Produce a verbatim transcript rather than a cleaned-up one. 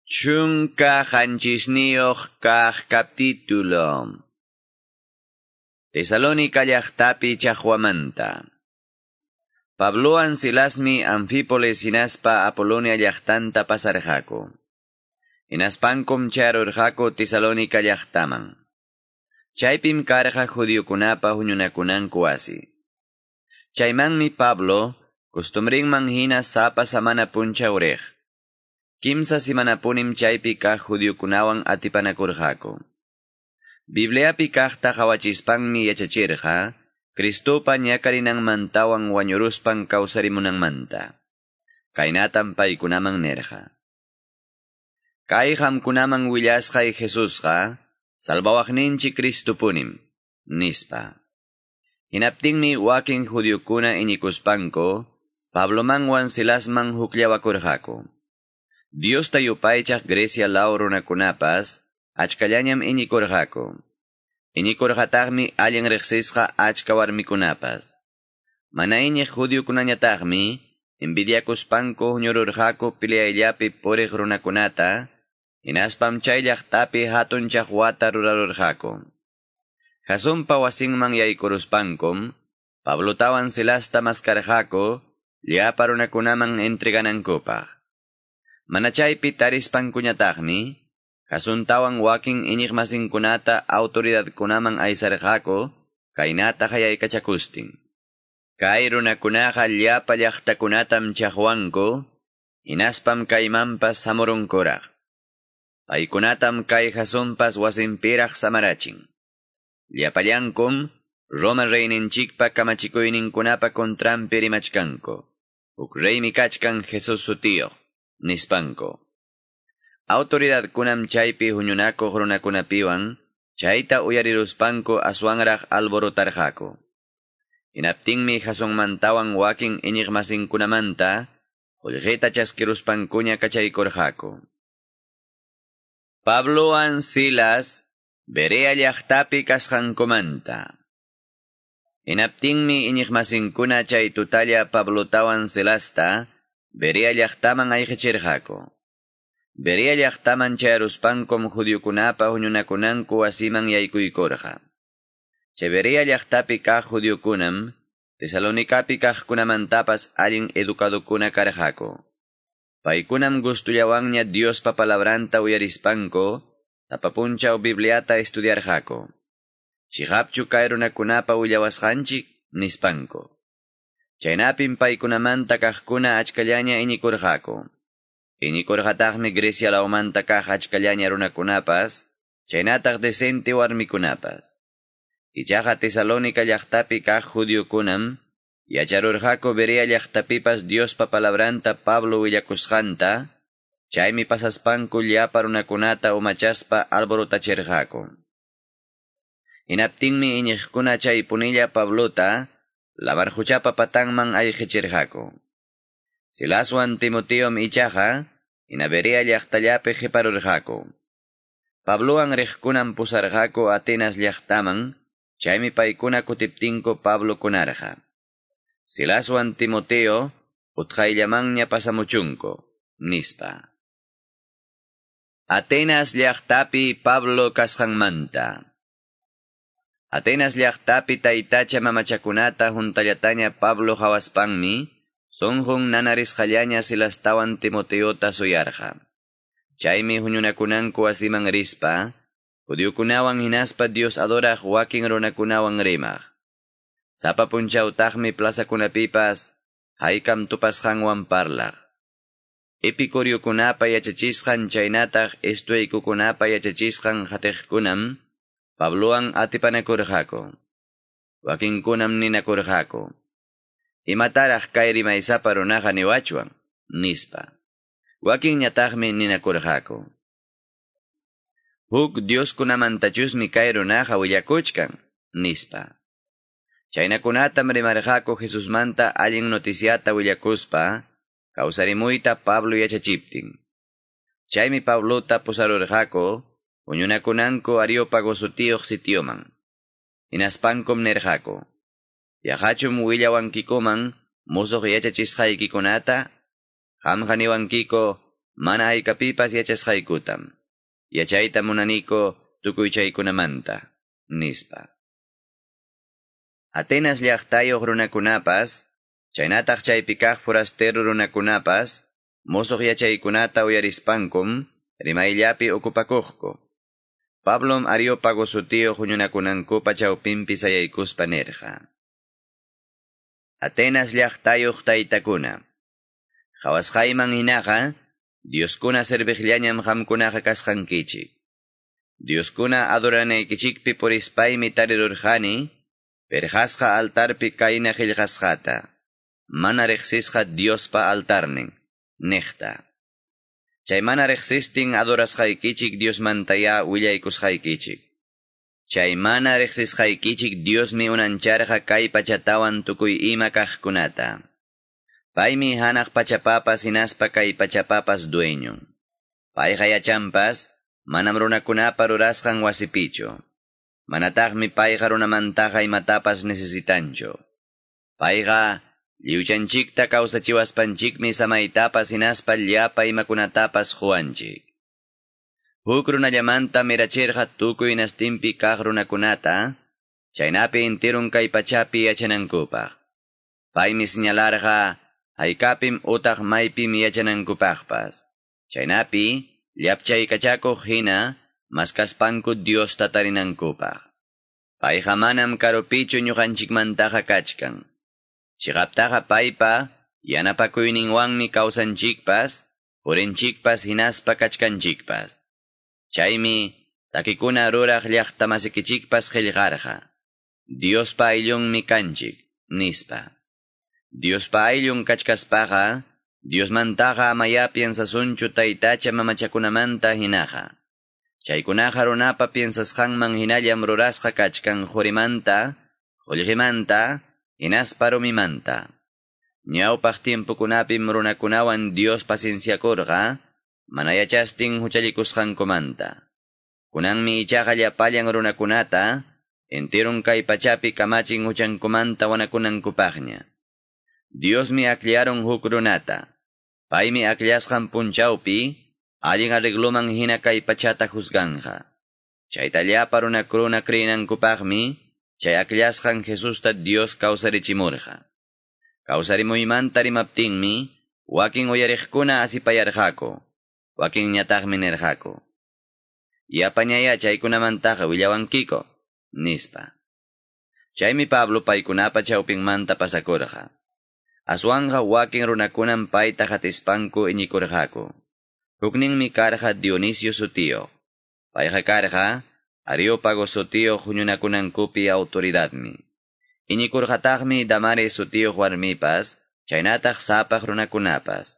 Chunka qanchisniyuq kaq capítulo. Tesalónica llaqtapi chaqwamanta. Pablowan Silasmi Anfípolis hinaspa Apolonia llaqtanta pasarqaku. Hinaspankum chayarurqaku Tesalónica llaqtaman. Chaypim karqa judiokunapa huñunakunanku wasi. Chaymanmi Pablo costumbrinman hina sapa samana punchaw riq. Kimsa simanapunim chaypi kaq judiokunawan atipanakurqaku. Bibliapi kaqta qawachispanmi yachachirqa, Cristopa ñakarinanmantawan wañuruspan kawsarimunanmanta. Kaynatam paykunaman nirqa. Kay qamkunaman willasqay Jesusqa, salvawaqninchik Cristopunim, nispa. Hinaptinmi wakin judiokuna iñikuspanku, Pablomanwan Silasman hukllawakurqaku. Diosta yupaychaq Grecia law runakunapas, achkallañam iñikurqaku. Iñikurqataqmi allin riqsisqa achka warmikunapas. Mana iñiq judiokunañataqmi, envidiakuspanku huñururqaku peleayllapi puriq runakunata, hinaspam chay llaqtapi hatun chaqwata rurarurqaku. Jasonpa wasinman yaykuruspankum, Pablotawan Silasta maskarqaku, llapa runakunaman entreganankupaq. Mana chaypi tarispankuñataqmi, Jasontawan wakin iñiqmasinkunata autoridadkunaman aysarqaku, kaynata qayaykachakustin. Kay runakunaqa llapa llaqtakunatam chaqwanku, hinaspam kaymanpas hamurunkuraq. Paykunatam kay Jasonpas wasinpiraq samarachin. Llapallankum Roma reyninchikpa kamachikuyninkunapa contranpi rimachkanku. Huk reymi kachkan Jesus sutiyuq, nispanku. Autoridadkunam chaypi huñunakuq runakunapiwan, chayta uyariruspanku aswanraq alborotarqaku. Hinaptinmi Jasonmantawan wakin iñiqmasinkunamanta, qullqita chaskiruspankuña kachaykurqaku. Pablowan Silas, Berea llaqtapi kasqankumanta. Hinaptinmi iñiqmasinkuna chay tutalla Pablotawan Silasta, Berea llaqtaman ayqichirqaku. Berea llaqtaman chayaruspankum judiokunapa huñunakunanku wasiman yaykuykurqa. Chay Berea llaqtapi kaq judiokunam, Tesalonicapi kaqkunamantapas allin educadokuna karqaku. Paykunam gustullawanña Diospa palabranta uyarispanku, sapa punchaw Bibliata estudiarqaku. Chiqapchu kay runakunapa willawasqanchik, nispanku. Chaynapim paykunamanta kaqkuna achkallaña iñikurqaku. Iñikurqataqmi Grecia lawmanta kaq achkallaña runakunapas, chaynataq decente warmikunapas. Ichaqa Tesalónica llaqtapi kaq judiokunam, yacharurqaku Berea llaqtapipas Diospa palabranta Pablo willakusqanta, chaymi pasaspanku llapa runakunata umachaspa alborotachirqaku. Hinaptinmi iñiqkuna chaypunilla Pablota, lamarquchapa patanman ayqichirqaku. Silaswan Timoteom ichaqa, hina Berea llaqtallapi qiparurqaku. Pablowan riqkunam pusarqaku Atenas llaqtaman, chaymi paykuna kutiptinku Pablo kunarqa. Silaswan Timoteo, utqayllamanña pasamuchunku, nispa. Atenas llaqtapi Pablo kasqanmanta. Atenas llaqtapi taytacha mamachakunata huntallataña Pablo hawaspanmi, sunqun nanarisqallaña Silastawan Timoteota suyarqa. Chaymi huñunakunanku wasiman rispa, judiokunawan hinaspa Dios adoraq wakin runakunawan rimaq. Sapa punchawtaqmi plazakunapipas, haykam tupasqanwan parlaq. Epicuriokunapa yachachisqan chaynataq estoicokunapa yachachisqan qatiqkunam, Pablowan atipanakurqaku. Wakinkunam ninakurqaku. Imataraq kay rimaysapa runaqa niwachwan, nispa. Wakinñataqmi ninakurqaku. Huk dioskunamantachusmi kay runaqa willakuchkan, nispa. Chaynakunatam rimarqaku Jesusmanta allin noticiata willakuspa, kawsarimuyta Pablo yachachiptin. Chaymi Pablota pusarurqaku, huñunakunanku Areópago sutiyuq sitioman. Hinaspankum nirqaku. Yaqachum willawankikuman musuq yachachisqaykikunata, qamqa niwankiko Mana haykapipas yachasqaykutam. Yachayta munaniko tukuy chaykunamanta, nispa. Atenas llaqtayuq runakunapas, chaynataq chaypi kaq forastero runakunapas, mosoq yachaykunata uyarispankum, rimayllapi okupakuqku. Pablom Areópago sutiyuq huñunakunankupa chawpinpi sayaykuspa nirqa. Atenas llaqtayuq taytakuna. Qhawasqayman hinaqa, Dioskuna serviqllañam qamkunaqa kasqankichik. Dioskuna adoranaykichikpi purispaymi tarirurqani, perqasqa altarpi kayna qillqasqata, mana riqsisqa Diospa altarnin, niqta. Chay mana riqsistin adorasqaykichik Diosmantaya willaykusqaykichik. Chay mana riqsisqaykichik Diosmi unancharqa kay pachatawan tukuy ima kaqkunata. Paymi hanaq pachapapas hinaspa kay pachapapas dueño. Payqa yachanpas, manam runakunapa rurasqan wasipichu. Manataqmi payqa runamantaqa imatapas necesitanchu. Payqa lliwchanchikta kawsachiwaspanchikmi samaytapas hinaspa llapa imakunatapas quwanchik. Huk runallamanta mirachirqa tukuy nastinpi kaq runakunata, chaynapi intirun kay pachapi yachanankupaq. Paymi señalarqa haykapim utaq maypim yachanankupaqpas. Chaynapi llapchaykachakuq hina maskaspanku Diosta tarinankupaq. Payqa manam karupichu ñuqanchikmantaqa kachkan. Chiqaptaqa paypa yanapakuyninwanmi kawsanchikpas, purinchikpas hinaspa kachkanchikpas. Chaymi takikuna ruraq llaqtamasikichikpas qillqarqa. Diospa ayllunmi kanchik, nispa. Diospa ayllun kachkaspaqa, Diosmantaqa amaya piensasunchu taytacha mamachakunamanta hinaqa. Chaykunaqa runapa piensasqanman hinallam rurasqa kachkan qurimanta, qullqimanta, hinaspa rumimanta. Ñawpaq tiempokunapim runakunawan Dios pacienciakurqa, mana yachastin huchallikusqankumanta. Kunanmi ichaqa llapallan runakunata, entirun kay pachapi kamachin huchankumanta wanakunankupaqña. Diosmi akllaron huk runata. Paymi akllasqan punchawpi, allin arregloman hina kay pachata juzganja. Chayta llapa runakuna creenankupaqmi, chay akllasqan Jesusta Dios kawsarichimurqa. Kawsarimuymanta rimaptinmi, wakin uyariqkuna asipayarqaku, wakinñataqmi nirqaku. Yapañaya chaykunamantaqa willawankiko, nispa. Chaymi Pablo paykunapa chawpinmanta pasakurqa. Aswanja wakin runakunam payta hatispanku iñikurqaku. Hukninmi karqa Dionisio sutiyuq. Payqa karqa Areópago sutiyuq huñunakunankupi autoridadmi. Iñikurqataqmi Damaris sutiyuq warmipas, chaynataq sapaq runakunapas.